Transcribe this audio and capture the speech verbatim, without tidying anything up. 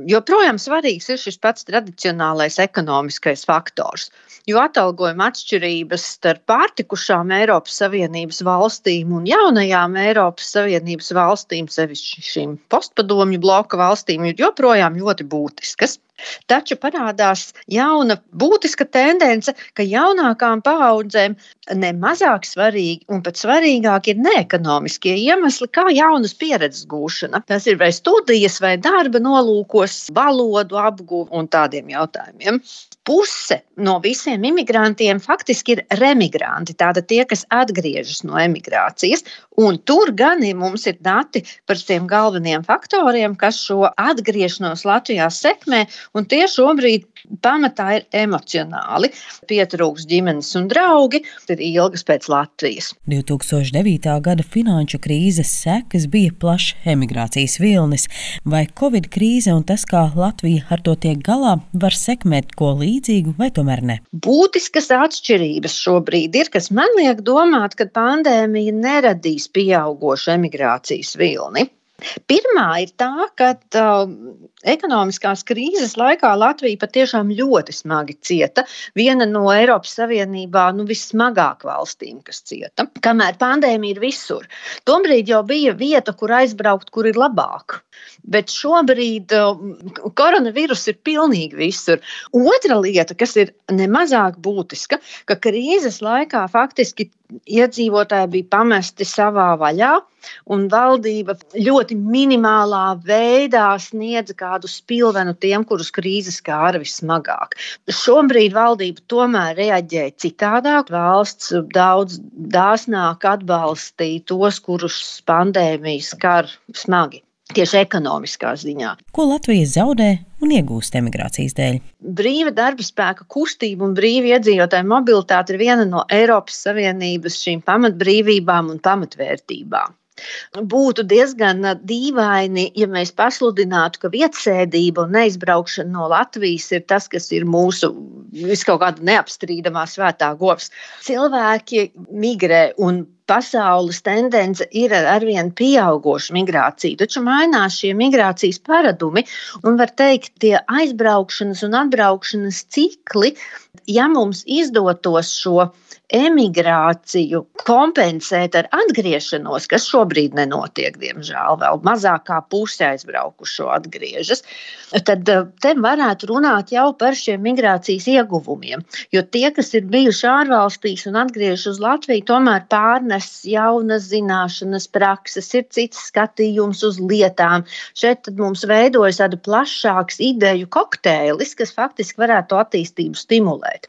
joprojām svarīgs ir šis pats tradicionālais ekonomiskais faktors, jo atalgojuma atšķirības starp pārtikušām Eiropas Savienības valstīm un jaunajām Eiropas Savienības valstīm, sevišķi šīm postpadomju bloka valstīm, ir joprojām ļoti būtiskas. Taču parādās jauna būtiska tendence, ka jaunākām paaudzēm ne mazāk svarīgi un pat svarīgāk ir neekonomiskie iemesli, kā jaunas pieredzes gūšana. Tas ir vai studijas vai darba nolūkos, valodu apguve un tādiem jautājumiem. Puse no visiem imigrantiem faktiski ir remigranti, tātad tie, kas atgriežas no emigrācijas, un tur gan ir, mums ir dati par tiem galveniem faktoriem, kas šo atgriešanos Latvijā sekmē, un tie šobrīd pamatā ir emocionāli. Pietrūks ģimenes un draugi, ir ilgas pēc Latvijas. divi tūkstoši devītā gada finanšu krīzes sekas bija plašs emigrācijas vilnis. Vai Covid krīze un tas, kā Latvija ar to tiek galā, var sekmēt ko līdzīgu vai tomēr ne? Būtiskas atšķirības šobrīd ir, kas man liek domāt, ka pandēmija neradīs pieaugošu emigrācijas vilni. Pirmā ir tā, ka uh, ekonomiskās krīzes laikā Latvija patiešām ļoti smagi cieta. Viena no Eiropas Savienībā nu, vissmagāk valstīm, kas cieta. Kamēr pandēmija ir visur. Tombrīd jau bija vieta, kur aizbraukt, kur ir labāk. Bet šobrīd uh, koronavīrus ir pilnīgi visur. Otra lieta, kas ir nemazāk būtiska, ka krīzes laikā faktiski iedzīvotāji bija pamesti savā vaļā, un valdība ļoti minimālā veidā sniedza kādu spilvenu tiem, kurus krīze skāra vismagāk. Šobrīd valdība tomēr reaģēja citādāk. Valsts daudz dāsnāk atbalstīja tos, kurus pandēmija skar smagi. Tieši ekonomiskā ziņā. Ko Latvija zaudē un iegūst emigrācijas dēļ? Brīva darba spēka kustība un brīva iedzīvotāju mobilitāte ir viena no Eiropas Savienības šīm pamatbrīvībām un pamatvērtībām. Būtu diezgan dīvaini, ja mēs pasludinātu, ka vietasēdība un neizbraukšana no Latvijas ir tas, kas ir mūsu viskaut kāda neapstrīdamā svētā govs. Cilvēki migrē un pasaules tendence ir arvien pieaugoša migrācija, taču mainās šie migrācijas paradumi un var teikt, tie aizbraukšanas un atbraukšanas cikli, ja mums izdotos šo emigrāciju kompensēt ar atgriešanos, kas šobrīd nenotiek, diemžēl, vēl mazāk kā puse aizbraukušo atgriežas, tad te varētu runāt jau par šiem migrācijas ieguvumiem, jo tie, kas ir bijuši ārvalstīs un atgriežas uz Latviju, tomēr pārnes jaunas zināšanas, prakses, ir cits skatījums uz lietām. Šeit tad mums veidojas tāda plašāks ideju kokteilis, kas faktiski varētu attīstību stimulēt.